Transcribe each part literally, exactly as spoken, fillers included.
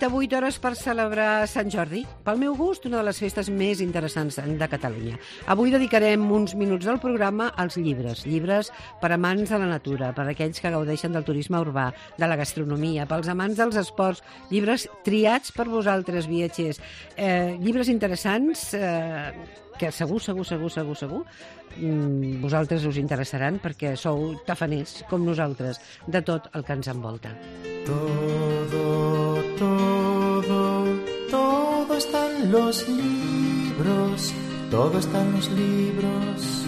quaranta-vuit hores per celebrar Sant Jordi. Pel meu gust, una de les festes més interessants de Catalunya. Avui dedicarem uns minuts del programa als llibres. Llibres per amants de la natura, per aquells que gaudeixen del turisme urbà, de la gastronomia, pels amants dels esports. Llibres triats per vosaltres, viatgers. Eh, llibres interessants eh, que segur, segur, segur, segur, segur vosaltres us interessaran perquè sou tafaners, com nosaltres, de tot el que ens envolta. Todo, todo, todo está en los libros, todo está en los libros.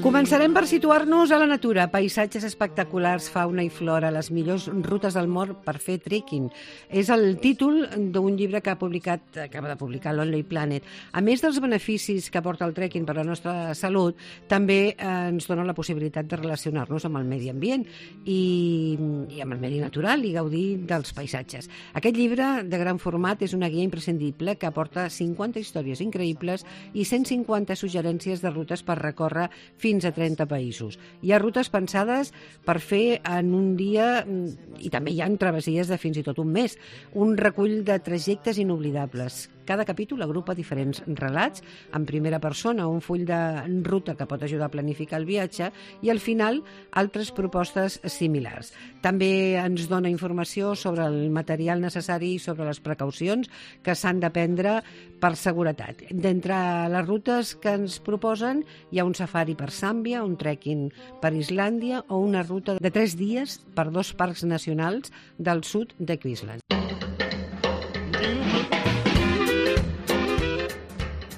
Començarem per situar-nos a la natura, paisatges espectaculars, fauna i flora, les millors rutes del món per fer trekking. És el títol d'un llibre que ha publicat, acaba de publicar Lonely Planet. A més dels beneficis que aporta el trekking per a la nostra salut, també ens dona la possibilitat de relacionar-nos amb el medi ambient i, i amb el medi natural i gaudir dels paisatges. Aquest llibre de gran format és una guia imprescindible que aporta cinquanta històries increïbles i cent cinquanta suggerències de rutes per recórrer fins a trenta països. Hi ha rutes pensades per fer en un dia i també hi ha travessies de fins i tot un mes. Un recull de trajectes inoblidables. Cada capítol agrupa diferents relats en primera persona, un full de ruta que pot ajudar a planificar el viatge i al final altres propostes similars. També ens dona informació sobre el material necessari i sobre les precaucions que s'han de prendre per seguretat. D'entre les rutes que ens proposen hi ha un safari per Zàmbia, un trekking per Islàndia o una ruta de tres dies per dos parcs nacionals del sud de Queensland.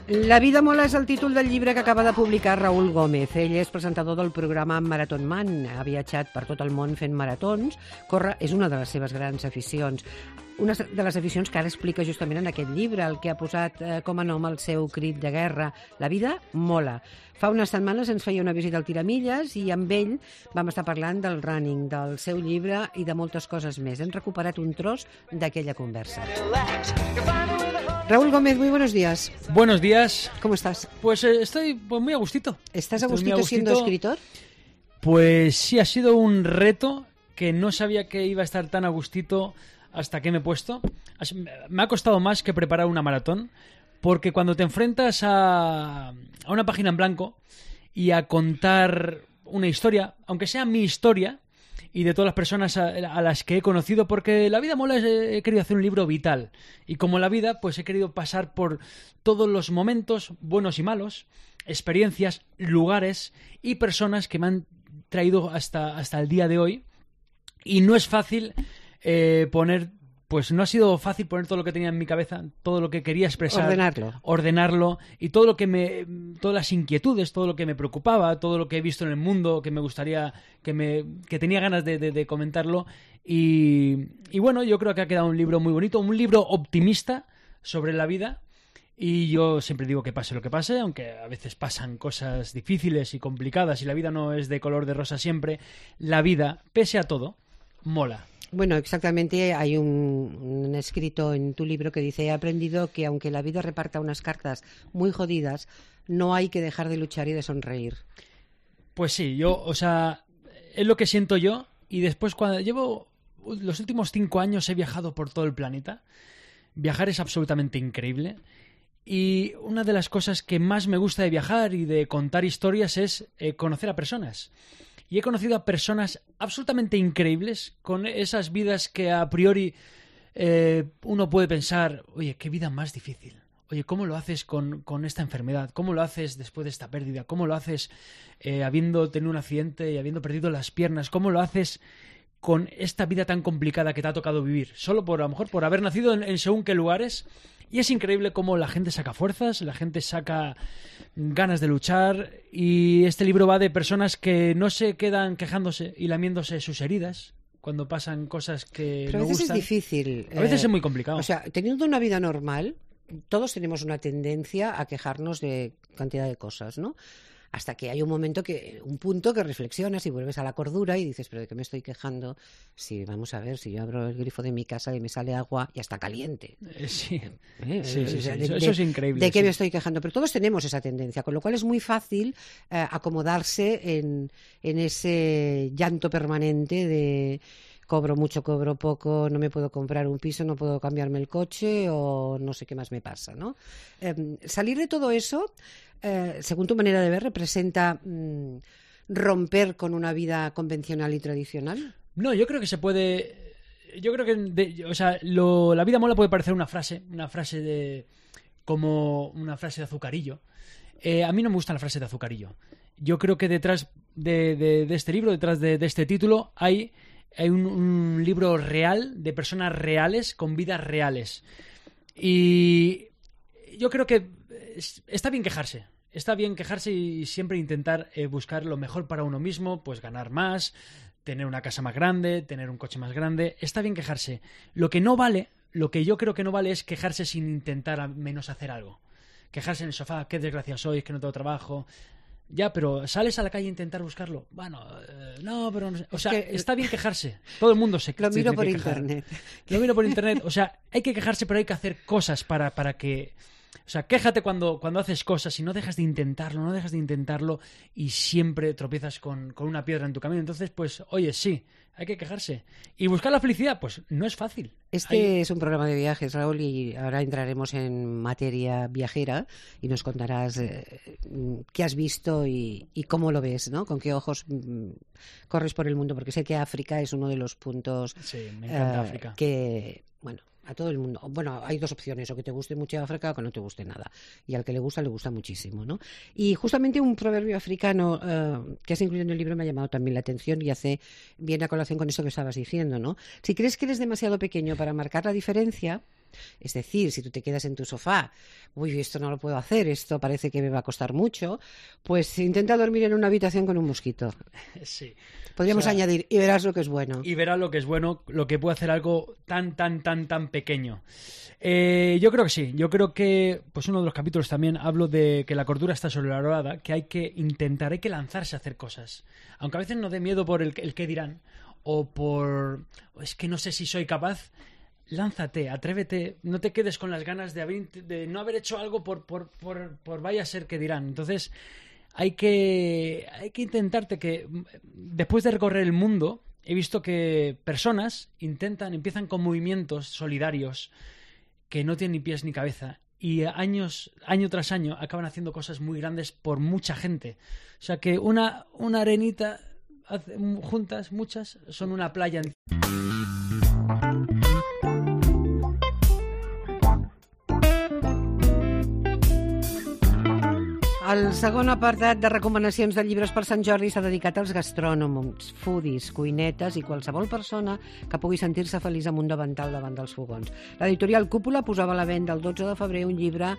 La vida mola és el títol del llibre que acaba de publicar Raúl Gómez. Ell és presentador del programa Marathon Man. Ha viatjat per tot el món fent maratons. Córrer és una de les seves grans aficions. Una de les aficions que ara explica justament en aquest llibre, el que ha posat eh, com a nom el seu crit de guerra. La vida mola. Fa unes setmanes ens feia una visita al Tiramilles i amb ell vam estar parlant del running, del seu llibre i de moltes coses més. Hem recuperat un tros d'aquella conversa. Raúl Gómez, muy buenos días. Buenos días. ¿Cómo estás? Pues eh, estoy pues, muy a gustito. ¿Estás a gustito, a gustito siendo escritor? Pues sí, ha sido un reto que no sabía que iba a estar tan a gustito hasta que me he puesto. Me ha costado más que preparar una maratón, porque cuando te enfrentas a, a una página en blanco y a contar una historia, aunque sea mi historia, y de todas las personas a, a las que he conocido, porque La vida mola, he querido hacer un libro vital. Y como la vida, pues he querido pasar por todos los momentos, buenos y malos, experiencias, lugares y personas que me han traído hasta, hasta el día de hoy. Y no es fácil eh, poner... Pues no ha sido fácil poner todo lo que tenía en mi cabeza, todo lo que quería expresar, ordenarlo, ordenarlo y todo lo que me, todas las inquietudes, todo lo que me preocupaba, todo lo que he visto en el mundo, que me gustaría, que me, que tenía ganas de, de, de comentarlo y, y bueno, yo creo que ha quedado un libro muy bonito, un libro optimista sobre la vida. Y yo siempre digo que pase lo que pase, aunque a veces pasan cosas difíciles y complicadas y la vida no es de color de rosa siempre, la vida, pese a todo, mola. Bueno, exactamente, hay un, un escrito en tu libro que dice: he aprendido que aunque la vida reparta unas cartas muy jodidas, no hay que dejar de luchar y de sonreír. Pues sí, yo, o sea, es lo que siento yo, y después cuando llevo los últimos cinco años he viajado por todo el planeta. Viajar es absolutamente increíble. Y una de las cosas que más me gusta de viajar y de contar historias es eh, conocer a personas. Y he conocido a personas absolutamente increíbles, con esas vidas que a priori eh, uno puede pensar, oye, qué vida más difícil. Oye, ¿cómo lo haces con, con esta enfermedad? ¿Cómo lo haces después de esta pérdida? ¿Cómo lo haces eh, habiendo tenido un accidente y habiendo perdido las piernas? ¿Cómo lo haces con esta vida tan complicada que te ha tocado vivir? Solo por, a lo mejor, por haber nacido en, en según qué lugares. Y es increíble cómo la gente saca fuerzas, la gente saca ganas de luchar, y este libro va de personas que no se quedan quejándose y lamiéndose sus heridas cuando pasan cosas que Pero no a veces gustan. es difícil. A veces eh, es muy complicado. O sea, teniendo una vida normal, todos tenemos una tendencia a quejarnos de cantidad de cosas, ¿no? Hasta que hay un momento que, un punto que reflexionas y vuelves a la cordura y dices, ¿pero de qué me estoy quejando? Si, vamos a ver, si yo abro el grifo de mi casa y me sale agua y está caliente. Eh, sí, ¿Eh? sí, sí, O sea, sí. de, Eso, de, eso es increíble. ¿De qué sí. me estoy quejando? Pero todos tenemos esa tendencia, con lo cual es muy fácil eh, acomodarse en, en ese llanto permanente de cobro mucho, cobro poco, no me puedo comprar un piso, no puedo cambiarme el coche o no sé qué más me pasa, ¿no? Eh, salir de todo eso, eh, según tu manera de ver, representa mmm, romper con una vida convencional y tradicional. No, yo creo que se puede... Yo creo que, de, o sea, lo, la vida mola puede parecer una frase, una frase de... como una frase de azucarillo. Eh, a mí no me gusta la frase de azucarillo. Yo creo que detrás de, de, de este libro, detrás de, de este título, hay, hay un, un libro real de personas reales con vidas reales. Y yo creo que está bien quejarse. Está bien quejarse y siempre intentar eh, buscar lo mejor para uno mismo, pues ganar más, tener una casa más grande, tener un coche más grande. Está bien quejarse. Lo que no vale, lo que yo creo que no vale es quejarse sin intentar al menos hacer algo. Quejarse en el sofá, qué desgracia soy, es que no tengo trabajo. Ya, pero ¿sales a la calle a intentar buscarlo? Bueno, eh, no, pero... No sé. O sea, es que está bien quejarse. Todo el mundo se Lo miro se por quejar. internet. Lo miro por internet. O sea, hay que quejarse, pero hay que hacer cosas para, para que... O sea, quéjate cuando, cuando haces cosas y no dejas de intentarlo, no dejas de intentarlo y siempre tropiezas con, con una piedra en tu camino. Entonces, pues, oye, sí, hay que quejarse. Y buscar la felicidad, pues, no es fácil. Este hay... es un programa de viajes, Raúl, y ahora entraremos en materia viajera y nos contarás eh, qué has visto y, y cómo lo ves, ¿no? Con qué ojos mm, corres por el mundo, porque sé que África es uno de los puntos... Sí, me encanta eh, África. Que, bueno... A todo el mundo. Bueno, hay dos opciones, o que te guste mucho África o que no te guste nada. Y al que le gusta, le gusta muchísimo, ¿no? Y justamente un proverbio africano eh, que has incluido en el libro me ha llamado también la atención y hace bien a colación con esto que estabas diciendo, ¿no? Si crees que eres demasiado pequeño para marcar la diferencia, es decir, si tú te quedas en tu sofá, uy, esto no lo puedo hacer, esto parece que me va a costar mucho, pues intenta dormir en una habitación con un mosquito. Sí. Podríamos o sea, añadir, y verás lo que es bueno. Y verás lo que es bueno, lo que puede hacer algo tan, tan, tan, tan pequeño. Eh, yo creo que sí. Yo creo que, pues uno de los capítulos también hablo de que la cordura está sobrevalorada, que hay que intentar, hay que lanzarse a hacer cosas. Aunque a veces nos dé miedo por el, el qué dirán, o por, es que no sé si soy capaz. Lánzate, atrévete, no te quedes con las ganas de, haber, de no haber hecho algo por, por, por, por vaya a ser que dirán. Entonces, hay que, hay que intentarte que, después de recorrer el mundo, he visto que personas intentan, empiezan con movimientos solidarios que no tienen ni pies ni cabeza y años, año tras año acaban haciendo cosas muy grandes por mucha gente. O sea que una, una arenita juntas, muchas, son una playa. El segon apartat de recomanacions de llibres per Sant Jordi s'ha dedicat als gastrònoms, foodies, cuinetes i qualsevol persona que pugui sentir-se feliç amb un davantal davant dels fogons. L'editorial Cúpula posava a la venda el dotze de febrer un llibre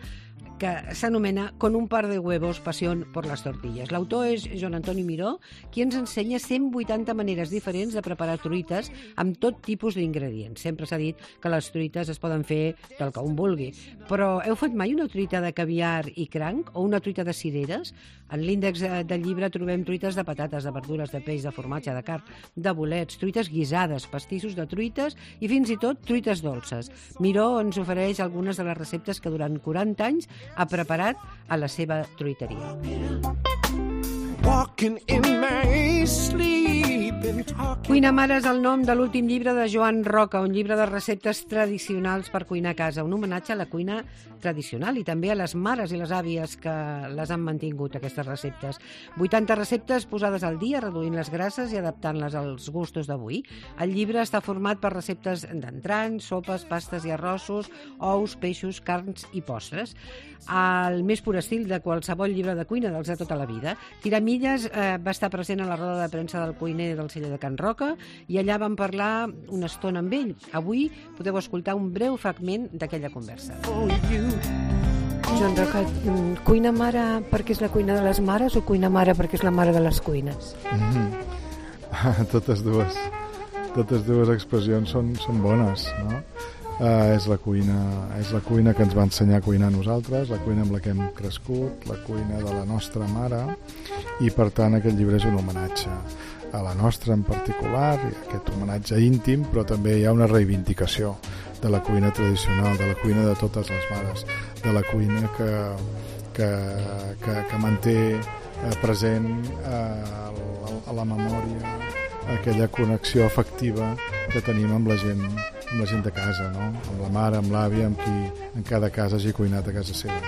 que s'anomena Con un par de huevos, pasión por las tortillas. L'autor és Joan Antoni Miró, qui ens ensenya cent vuitanta maneres diferents de preparar truites amb tot tipus d'ingredients. Sempre s'ha dit que les truites es poden fer del que un vulgui. Però heu fet mai una truita de caviar i cranc o una truita de cireres? En l'índex del llibre trobem truites de patates, de verdures, de peix, de formatge, de carn, de bolets, truites guisades, pastissos de truites i fins i tot truites dolces. Miró ens ofereix algunes de les receptes que durant quaranta anys ha preparat a la seva truiteria. Cuina Mare és el nom de l'últim llibre de Joan Roca, un llibre de receptes tradicionals per cuinar a casa, un homenatge a la cuina tradicional i també a les mares i les àvies que les han mantingut, aquestes receptes. vuitanta receptes posades al dia, reduint les grasses i adaptant-les als gustos d'avui. El llibre està format per receptes d'entrants, sopes, pastes i arrossos, ous, peixos, carns i postres. Al més pur estil de qualsevol llibre de cuina dels de tota la vida. Tiramilles eh, va estar present a la roda de premsa del cuiner del celler de Can Roca i allà vam parlar una estona amb ell. Avui podeu escoltar un breu fragment d'aquella conversa. Joan Roca, cuina mare perquè és la cuina de les mares o cuina mare perquè és la mare de les cuines? Mm-hmm. Totes dues. Totes dues expressions són, són bones, no? Uh, és la cuina és la cuina que ens va ensenyar a cuinar a nosaltres, la cuina amb la que hem crescut, la cuina de la nostra mare, i per tant aquest llibre és un homenatge a la nostra en particular, i aquest homenatge íntim, però també hi ha una reivindicació de la cuina tradicional, de la cuina de totes les mares, de la cuina que, que, que, que manté present a, a la memòria aquella connexió afectiva que tenim amb la gent, amb la gent de casa, no? Amb la mare, amb l'àvia, amb qui en cada casa hagi cuinat a casa seva.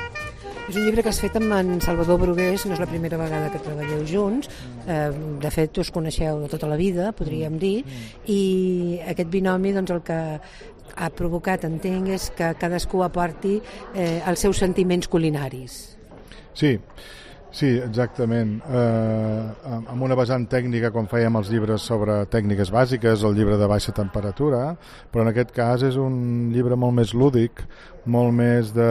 És un llibre que has fet amb en Salvador Brugués, no és la primera vegada que treballeu junts, eh, de fet us coneixeu de tota la vida, podríem dir, i aquest binomi doncs, el que ha provocat, entenc, és que cadascú aporti eh, els seus sentiments culinaris. Sí, sí, exactament. Eh, amb una vessant tècnica, com fèiem els llibres sobre tècniques bàsiques, el llibre de baixa temperatura, però en aquest cas és un llibre molt més lúdic, molt més de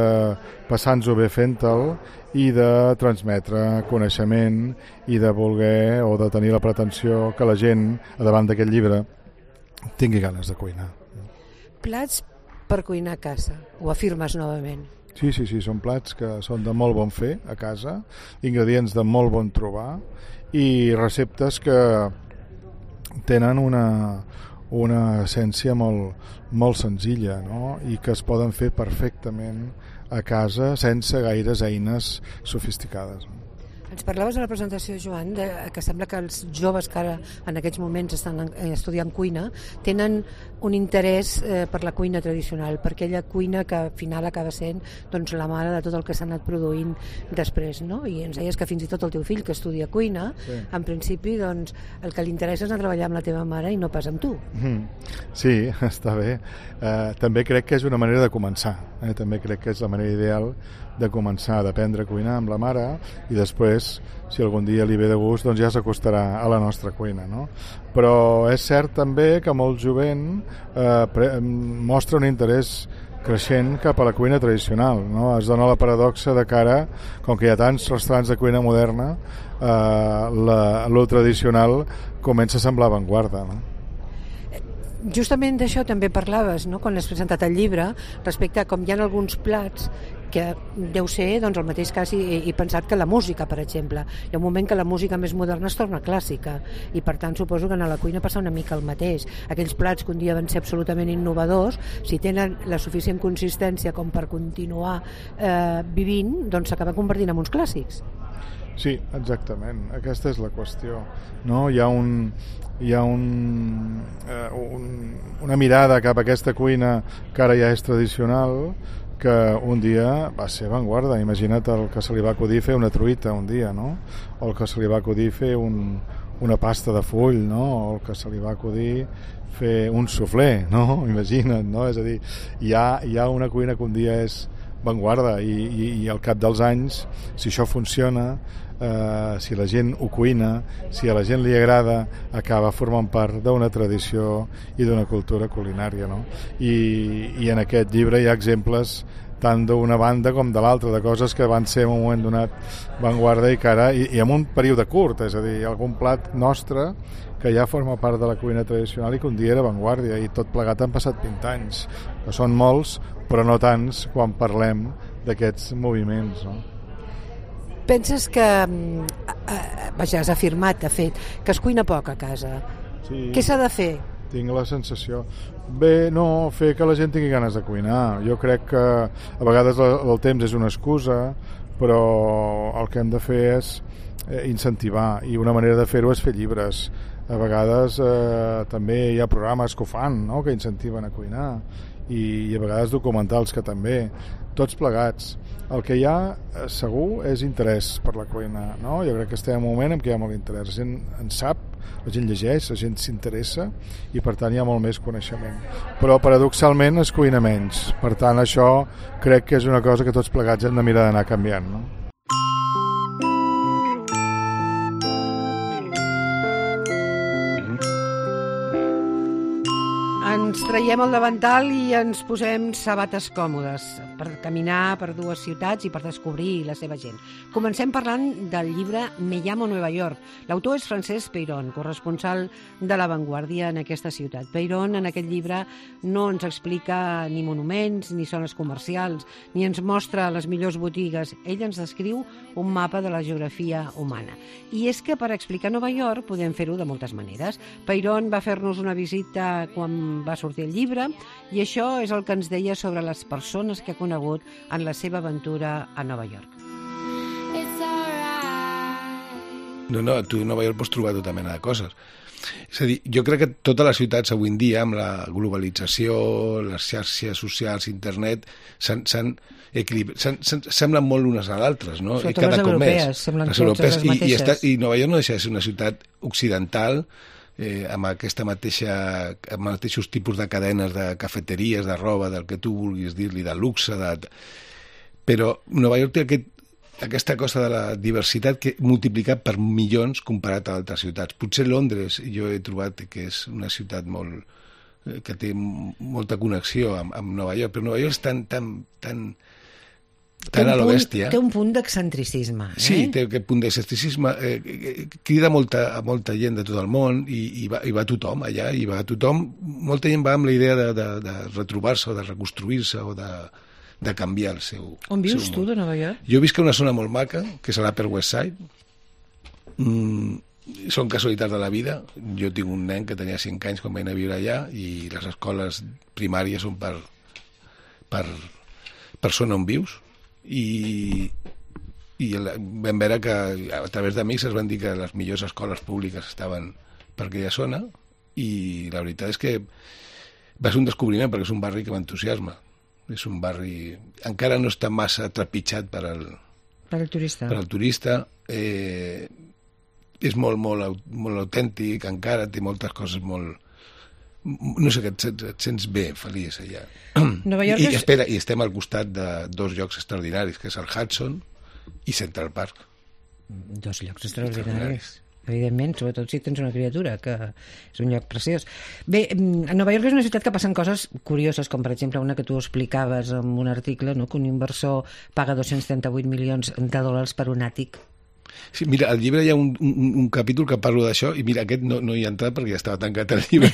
passar-nos-ho bé fent-te'l i de transmetre coneixement i de voler o de tenir la pretensió que la gent, davant d'aquest llibre, tingui ganes de cuinar. Plats per cuinar a casa, ho afirmes novament. Sí, sí, sí, són plats que són de molt bon fer a casa, ingredients de molt bon trobar i receptes que tenen una, una essència molt, molt senzilla, no? I que es poden fer perfectament a casa sense gaires eines sofisticades. Ens parlaves a la presentació, Joan, de, que sembla que els joves que ara en aquests moments estan estudiant cuina tenen un interès eh, per la cuina tradicional, per aquella cuina que al final acaba sent doncs, la mare de tot el que s'ha anat produint després, no? I ens deies que fins i tot el teu fill que estudia cuina, sí. En principi doncs, el que li interessa és anar a treballar amb la teva mare i no pas amb tu. Sí, està bé. Eh, també crec que és una manera de començar, eh? També crec que és la manera ideal de començar, d'aprendre a cuinar amb la mare i després, si algun dia li ve de gust, doncs ja s'acostarà a la nostra cuina, no? Però és cert també que molt jovent eh, pre- mostra un interès creixent cap a la cuina tradicional, no? Es dona la paradoxa de cara, com que hi ha tants restaurants de cuina moderna, eh, la, lo tradicional comença a semblar avantguarda, no? Justament d'això també parlaves, no?, quan has presentat el llibre, respecte a com hi ha alguns plats que deu ser doncs, el mateix cas i, i pensat que la música, per exemple. Hi ha un moment que la música més moderna es torna clàssica i per tant suposo que a la cuina passa una mica el mateix. Aquells plats que un dia van ser absolutament innovadors, si tenen la suficient consistència com per continuar eh, vivint, doncs s'acaben convertint en uns clàssics. Sí, exactament. Aquesta és la qüestió. No? Hi ha un... hi ha un, eh, un, una mirada cap a aquesta cuina que ara ja és tradicional, que un dia va ser avantguarda. Imagina't el que se li va acudir fer una truita un dia, no? O el que se li va acudir fer un, una pasta de full, no? O el que se li va acudir fer un suflé, no? Imagina't, no? És a dir, hi ha, hi ha una cuina que un dia és avantguarda i, i, i al cap dels anys, si això funciona, eh, si la gent ho cuina, si a la gent li agrada, acaba formant part d'una tradició i d'una cultura culinària, no? I, i en aquest llibre hi ha exemples tant d'una banda com de l'altra, de coses que van ser en un moment donat avantguarda i que ara, i, i en un període curt, és a dir, algun plat nostre que ja forma part de la cuina tradicional i que un dia era avantguàrdia, i tot plegat han passat vint anys, que són molts però no tants quan parlem d'aquests moviments, no? Penses que, eh, vaja, has afirmat, de fet, que es cuina poc a casa. Sí. Què s'ha de fer? Tinc la sensació. Bé, no, fer que la gent tingui ganes de cuinar. Jo crec que a vegades el, el temps és una excusa, però el que hem de fer és eh, incentivar, i una manera de fer-ho és fer llibres. A vegades eh, també hi ha programes que ho fan, no?, que incentiven a cuinar, i, i a vegades documentals que també, tots plegats. El que hi ha eh, segur és interès per la cuina, no? Jo crec que estem en un moment en què hi ha molt interès, la gent en sap, la gent llegeix, la gent s'interessa i per tant hi ha molt més coneixement, però paradoxalment es cuina menys, per tant això crec que és una cosa que tots plegats hem de mirar d'anar canviant, no? Ens traiem el davantal i ens posem sabates còmodes per caminar per dues ciutats i per descobrir la seva gent. Comencem parlant del llibre Me llamo Nueva York. L'autor és Francesc Peirón, corresponsal de La Vanguardia en aquesta ciutat. Peirón en aquest llibre no ens explica ni monuments, ni zones comercials, ni ens mostra les millors botigues. Ell ens descriu un mapa de la geografia humana. I és que per explicar Nova York podem fer-ho de moltes maneres. Peirón va fer-nos una visita quan va sortir el llibre i això és el que ens deia sobre les persones que ha conegut en la seva aventura a Nova York. It's alright, No, no, tu a Nova York pots trobar tota mena de coses. És a dir, jo crec que totes les ciutats avui en dia, amb la globalització, les xarxes socials, internet, s'han, s'han equilibrat, semblen molt unes a l'altres, no? Sobretot I cada les cop europees, més. semblen les europees, totes les i, i, mateixes. està, I Nova York no deixa de ser una ciutat occidental, eh, amb aquesta mateixa, amb mateixos tipus de cadenes de cafeteries, de roba, del que tu vulguis dir-li, de luxe, de... però Nova York té aquest aquesta cosa de la diversitat que multiplicat per milions comparat a altres ciutats. Potser Londres, jo he trobat que és una ciutat molt que té molta connexió amb, amb Nova York, però Nova York és tan, tan, tan, tan a lo bèstia. Té un punt d'excentricisme. Eh? Sí, té aquest punt d'excentricisme. Eh, crida molta, a molta gent de tot el món i, i, va, i va tothom allà, i va tothom. Molta gent va amb la idea de, de, de retrobar-se o de reconstruir-se o de de canviar el seu... On vius seu tu, món. de Nova York? Jo visc a una zona molt maca, que és a l'Upper West Side. Mm, són casualitats de la vida. Jo tinc un nen que tenia cinc anys quan vaig anar a viure allà i les escoles primàries són per, per, per zona on vius. I, i la, vam veure que a través d'amics es van dir que les millors escoles públiques estaven per aquella zona i la veritat és que va ser un descobriment perquè és un barri que m'entusiasma. És un barri... Encara no està massa trepitjat per al, per al turista. Per al turista. Eh, és molt, molt, molt autèntic, encara té moltes coses molt... No sé, et, et sents bé, feliç allà. Nova York I, és... espera, I estem al costat de dos llocs extraordinaris, que és el Hudson i Central Park. Dos llocs extraordinaris. Evidentment, sobretot si tens una criatura, que és un lloc preciós. Bé, Nova York és una ciutat que passen coses curioses, com per exemple una que tu explicaves en un article, no? Que un inversor paga dos-cents trenta-vuit milions de dòlars per un àtic. Sí, mira, al llibre hi ha un, un, un capítol que parlo d'això i mira, aquest no, no hi ha entrat perquè ja estava tancat el llibre.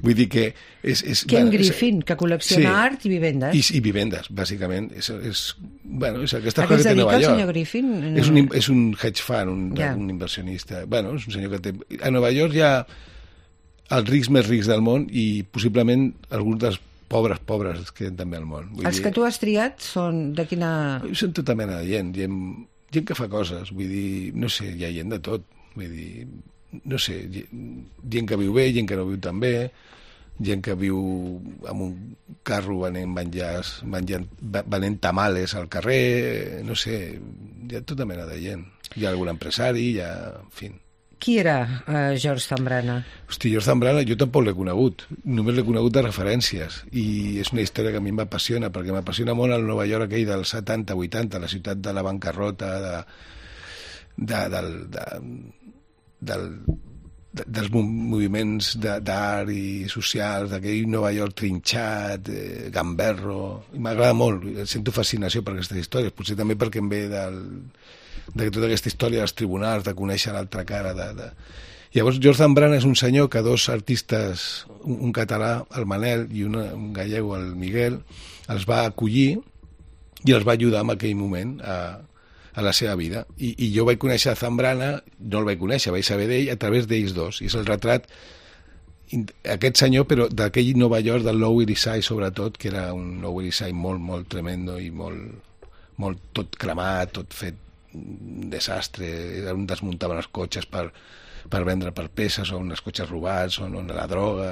Vull dir que és... és Ken bueno, Griffin, és, que col·lecciona sí, art i vivendes. I, i vivendes, bàsicament. És, és, bueno, és aquesta a cosa què es que té dedica Nova el York. senyor Griffin? És un, és un hedge fund, un, Ja. un inversionista. Bueno, és un senyor que té... A Nova York hi ha els rics més rics del món i possiblement alguns dels pobres pobres que hi ha també al món. Vull Els dir, que tu has triat són de quina... són tota mena de gent, gent, gent que fa coses, vull dir, no sé, hi ha gent de tot, vull dir, no sé, gent que viu bé, gent que no viu tan bé, gent que viu amb un carro venent menjars, menjant, venent tamales al carrer, no sé, hi ha tota mena de gent. Hi ha algun empresari, hi ha... En fi. Qui era uh, George Zambrana? Hosti, George Zambrana jo tampoc l'he conegut, només l'he conegut de referències i és una història que a mi m'apassiona perquè m'apassiona molt el Nova York aquell dels setanta vuitanta, la ciutat de la bancarrota, de, de, del, de, del, de, dels moviments d'art i socials, d'aquell Nova York trinxat, eh, gamberro, i m'agrada molt, sento fascinació per aquestes històries, potser també perquè em ve del... de tota aquesta història dels tribunals, de conèixer l'altra cara. De, de... Llavors, George Zambrana és un senyor que dos artistes, un, un català, el Manel, i una, un gallego, el Miguel, els va acollir i els va ajudar en aquell moment a, a la seva vida. I, I jo vaig conèixer a Zambrana, no el vaig conèixer, vaig saber d'ell a través d'ells dos. I és el retrat aquest senyor, però d'aquell Nova York, del Lower East Side, sobretot, que era un Lower East Side molt, molt tremendo i molt, molt tot cremat, tot fet un desastre, on desmuntaven els cotxes per, per vendre per peces, o uns cotxes robats, o on la droga,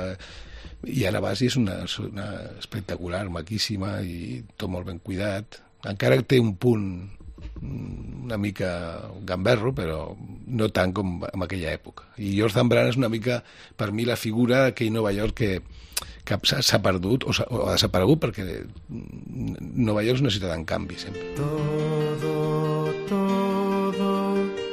i ara vas i és una, una espectacular, maquíssima, i tot molt ben cuidat. Encara té un punt una mica gamberro, però no tant com en aquella època. I George Zambrana és una mica, per mi, la figura d'aquell Nova York que, que s'ha perdut o, o ha desaparegut, perquè Nova York és una ciutat en canvi, sempre. Todo, todo,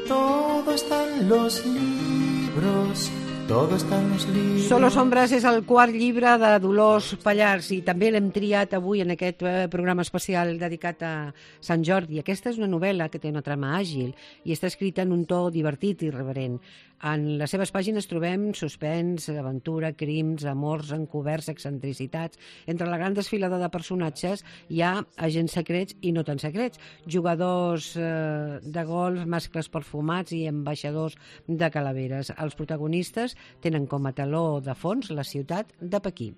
todo está en los libros, todo está en los libros. Solo Sombres és el quart llibre de Dolors Pallars i també l'hem triat avui en aquest programa especial dedicat a Sant Jordi. Aquesta és una novel·la que té una trama àgil i està escrita en un to divertit i irreverent. En les seves pàgines trobem suspens, aventura, crims, amors encoberts, excentricitats. Entre la gran desfilada de personatges hi ha agents secrets i no tan secrets, jugadors eh, de golf, mascles perfumats i ambaixadors de calaveres. Els protagonistes tenen com a teló de fons la ciutat de Pequín.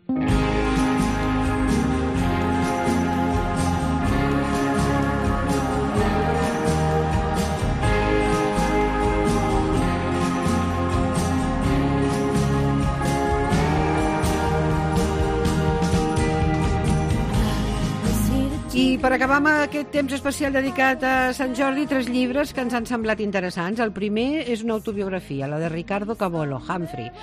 acabar amb aquest temps especial dedicat a Sant Jordi, tres llibres que ens han semblat interessants. El primer és una autobiografia, la de Ricardo Cavolo, Humphrey.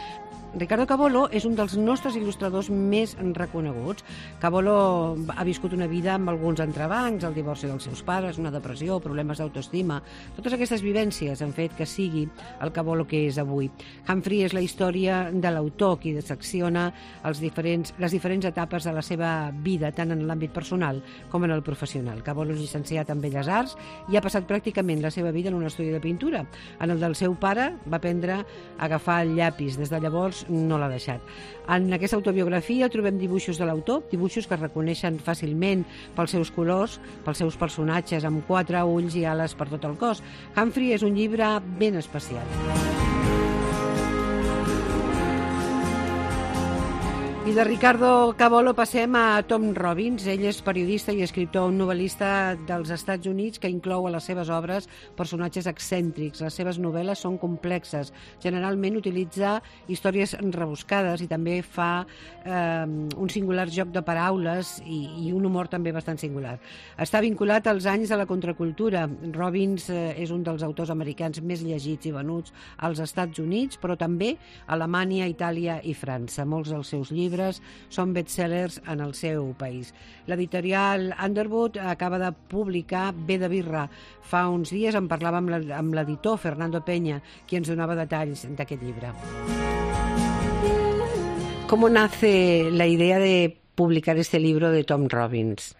Ricardo Cavolo és un dels nostres il·lustradors més reconeguts. Cavolo ha viscut una vida amb alguns entrebancs, el divorci dels seus pares, una depressió, problemes d'autoestima. Totes aquestes vivències han fet que sigui el Cavolo que és avui. Humphrey és la història de l'autor, qui dissecciona els diferents, les diferents etapes de la seva vida, tant en l'àmbit personal com en el professional. Cavolo és llicenciat en Belles Arts i ha passat pràcticament la seva vida en un estudi de pintura. En el del seu pare va aprendre a agafar el llapis. Des de llavors no l'ha deixat. En aquesta autobiografia trobem dibuixos de l'autor, dibuixos que es reconeixen fàcilment pels seus colors, pels seus personatges amb quatre ulls i ales per tot el cos. Humphrey és un llibre ben especial. I de Ricardo Cavolo passem a Tom Robbins. Ell és periodista i escriptor, un novel·lista dels Estats Units que inclou a les seves obres personatges excèntrics. Les seves novel·les són complexes. Generalment utilitza històries rebuscades i també fa eh, un singular joc de paraules i, i un humor també bastant singular. Està vinculat als anys de la contracultura. Robbins eh, és un dels autors americans més llegits i venuts als Estats Units, però també a Alemanya, Itàlia i França. Molts dels seus llibres són bestsellers en el seu país. L'editorial Underwood acaba de publicar Ve de birra. Fa uns dies en parlava amb l'editor Fernando Peña, qui ens donava detalls d'aquest llibre. ¿Cómo nace la idea de publicar este libro de Tom Robbins?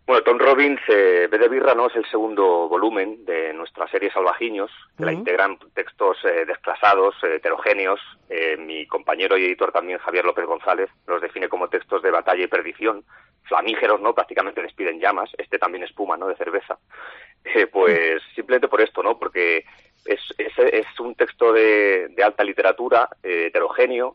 Bueno, Tom Robbins, eh, Ve de birra, ¿no? Es el segundo volumen de nuestra serie Salvajiños, que uh-huh. la integran textos eh, desclasados, eh, heterogéneos. Eh, mi compañero y editor también, Javier López González, los define como textos de batalla y perdición, flamígeros, ¿no? Prácticamente despiden llamas. Este también espuma, ¿no? De cerveza. Eh, pues uh-huh. simplemente por esto, ¿no? Porque es, es, es un texto de, de alta literatura, eh, heterogéneo,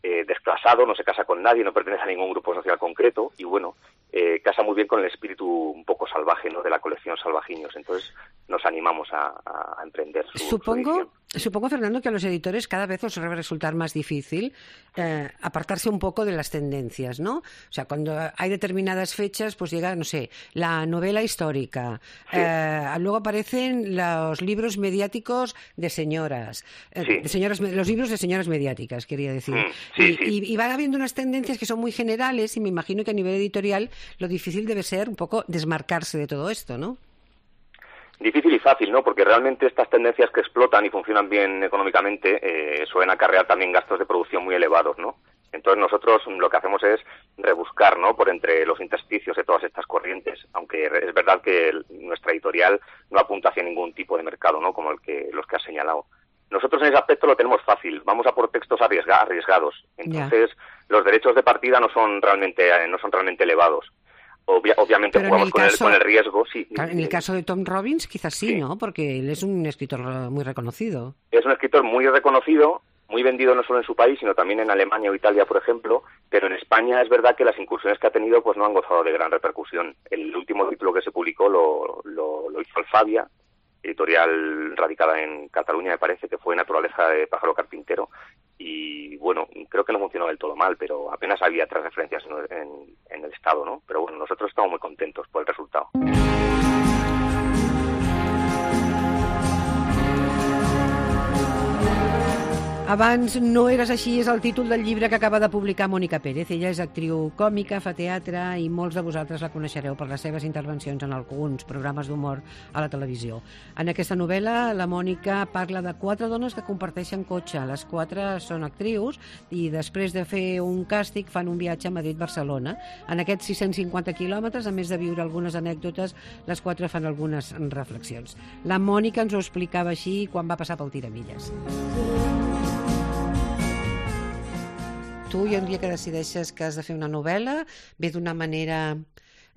eh, desclasado, no se casa con nadie, no pertenece a ningún grupo social concreto y, bueno, eh, casa muy bien con el espíritu un poco salvaje, ¿no? De la colección Salvajiños. Entonces nos animamos a, a emprender su, supongo, su supongo, Fernando, que a los editores cada vez os va a resultar más difícil eh, apartarse un poco de las tendencias, ¿no? O sea, cuando hay determinadas fechas, pues llega, no sé, la novela histórica, sí. eh, luego aparecen los libros mediáticos de señoras, eh, sí. de señoras, los libros de señoras mediáticas, quería decir. Mm, sí, y, sí. Y, y van habiendo unas tendencias que son muy generales y me imagino que a nivel editorial lo difícil debe ser un poco desmarcarse de todo esto, ¿no? Difícil y fácil, ¿no? Porque realmente estas tendencias que explotan y funcionan bien económicamente eh, suelen acarrear también gastos de producción muy elevados, ¿no? Entonces nosotros lo que hacemos es rebuscar, ¿no? Por entre los intersticios de todas estas corrientes, aunque es verdad que el, nuestra editorial no apunta hacia ningún tipo de mercado, ¿no? Como el que los que has señalado. Nosotros en ese aspecto lo tenemos fácil, vamos a por textos arriesga, arriesgados. Entonces yeah. los derechos de partida no son realmente no son realmente elevados. Obvia, obviamente Pero jugamos el con, caso, el, con el riesgo, sí. En el caso de Tom Robbins quizás sí, sí, ¿no? Porque él es un escritor muy reconocido. Es un escritor muy reconocido, muy vendido no solo en su país, sino también en Alemania o Italia, por ejemplo, pero en España es verdad que las incursiones que ha tenido pues no han gozado de gran repercusión. El último título que se publicó lo, lo, lo hizo Alfabia, editorial radicada en Cataluña, me parece, que fue Naturaleza de pájaro carpintero, y bueno, creo que no funcionó del todo mal, pero apenas había tres referencias en, en, en el Estado, ¿no? Pero bueno, nosotros estamos muy contentos por el resultado. Abans no eres així és el títol del llibre que acaba de publicar Mònica Pérez. Ella és actriu còmica, fa teatre i molts de vosaltres la coneixereu per les seves intervencions en alguns programes d'humor a la televisió. En aquesta novel·la, la Mònica parla de quatre dones que comparteixen cotxe. Les quatre són actrius i després de fer un càstig fan un viatge a Madrid-Barcelona. En aquests sis-cents cinquanta quilòmetres, a més de viure algunes anècdotes, les quatre fan algunes reflexions. La Mònica ens ho explicava així quan va passar pel Tiramilles. Tu, i un dia que decideixes que has de fer una novel·la, ve d'una manera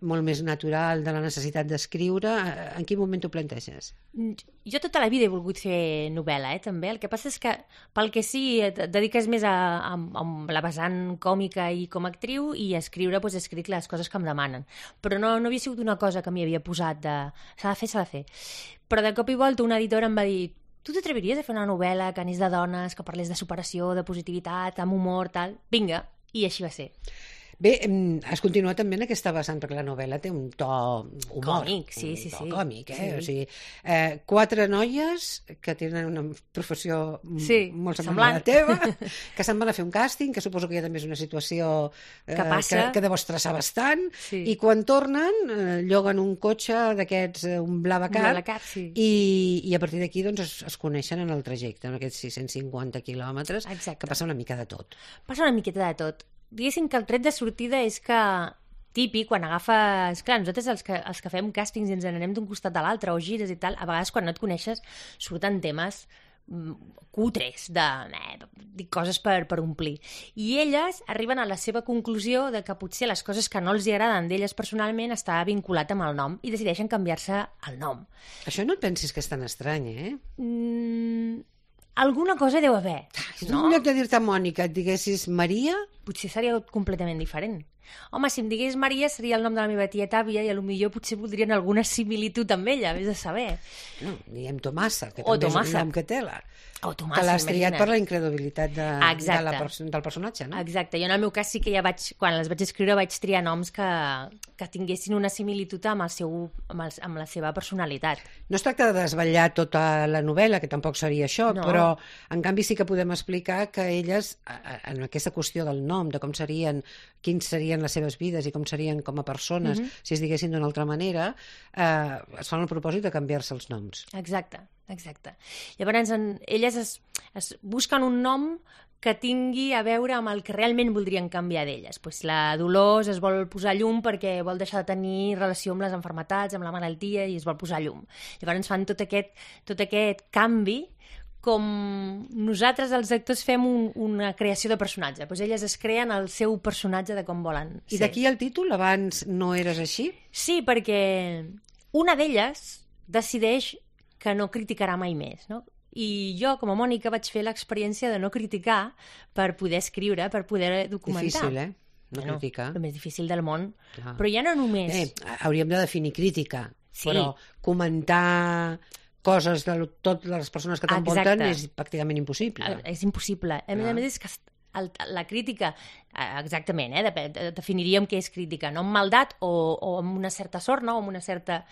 molt més natural de la necessitat d'escriure. En quin moment t'ho planteges? Jo tota la vida he volgut fer novel·la, eh, també. El que passa és que, pel que sí, et dediques més a, a, a la vessant còmica i com a actriu, i a escriure, doncs, he escrit les coses que em demanen. Però no, no havia sigut una cosa que m'hi havia posat de... s'ha de fer, s'ha de fer. Però de cop i volta una editora em va dir: tu t'atreviries a fer una novel·la que anés de dones, que parlés de superació, de positivitat, amb humor, tal? Vinga, i així va ser. Bé, has continuat també en aquesta vessant, perquè la novel·la té un to humor. Còmic, sí, sí, un to sí. còmic, eh? Sí. O sigui, eh, quatre noies que tenen una professió Sí, molt semblant a la semblant. teva, que se'n van a fer un càsting, que suposo que ja també és una situació eh, Que passa. que, que deu estressar bastant, Sí. i quan tornen eh, lloguen un cotxe d'aquests, eh, un Blablacar, Blablacar, sí. i, i a partir d'aquí doncs, es, es coneixen en el trajecte, en aquests sis-cents cinquanta quilòmetres, Exacte. que passa una mica de tot. Passa una miqueta de tot. Diguéssim que el tret de sortida és que típic, quan agafes... Clar, nosaltres els que, els que fem càstings i ens n'anem d'un costat a l'altre o gires i tal, a vegades quan no et coneixes surten temes mm, cutres, de eh, dic coses per, per omplir. I elles arriben a la seva conclusió de que potser les coses que no els hi agraden d'elles personalment està vinculat amb el nom i decideixen canviar-se el nom. Això no et pensis que és tan estrany, eh? Mm, alguna cosa deu haver, Si no? en lloc de dir-te Mònica et diguessis Maria, Potser seria completament diferent. Home, si em digués Maria seria el nom de la meva tieta àvia i potser potser voldrien alguna similitud amb ella, vés a saber. no, diguem Tomassa, que O també és Tomassa. un nom que té la... O Tomàs, que l'has triat imagina't. per la incredulitat de, Exacte. de la perso del personatge, no? Exacte, jo en el meu cas sí que ja vaig, quan les vaig escriure vaig triar noms que, que tinguessin una similitud amb, el seu, amb, el, amb la seva personalitat. No es tracta de desvetllar tota la novel·la, que tampoc seria això, No. però en canvi sí que podem explicar que elles, a- a- en aquesta qüestió del nom, de com serien, quins serien les seves vides i com serien com a persones, Mhm. si es diguessin d'una altra manera, eh, es fan el propòsit de canviar-se els noms. Exacte, exacte. Llavors, en, elles es, es busquen un nom que tingui a veure amb el que realment voldrien canviar d'elles. Pues la Dolors es vol posar llum perquè vol deixar de tenir relació amb les enfermetats, amb la malaltia, i es vol posar llum. Llavors fan tot aquest, tot aquest canvi com nosaltres, els actors, fem un, una creació de personatge. Pues elles es creen el seu personatge de com volen I ser. d'aquí el títol, abans no eres així? Sí, perquè una d'elles decideix que no criticarà mai més, no? I jo, com a Mònica, vaig fer l'experiència de no criticar per poder escriure, per poder documentar. Difícil, eh? No Bueno, criticar. el més difícil del món. Clar. Però ja no només... Bé, hauríem de definir crítica, Sí. però comentar coses de lo- totes les persones que t'envolten Exacte. és pràcticament impossible. Eh, És impossible. A més Clar. a més, és que el, la crítica, eh, exactament, eh, dep- de- definiríem què és crítica, no amb maldat o, o amb una certa sort, no? O amb una certa...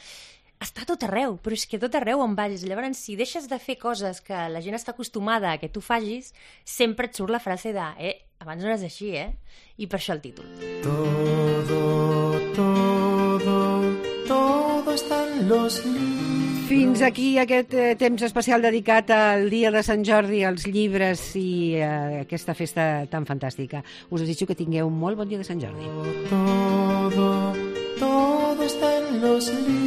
Està a tot arreu, però és que a tot arreu on vagis. Llavors, si deixes de fer coses que la gent està acostumada a que tu facis, sempre et surt la frase de eh, abans no eres així, eh? I per això el títol. Todo, todo, todo está en los libros. Fins aquí aquest eh, temps especial dedicat al Dia de Sant Jordi, als llibres i a aquesta festa tan fantàstica. Us desitjo que tingueu un molt bon dia de Sant Jordi. Todo, todo está en los libros.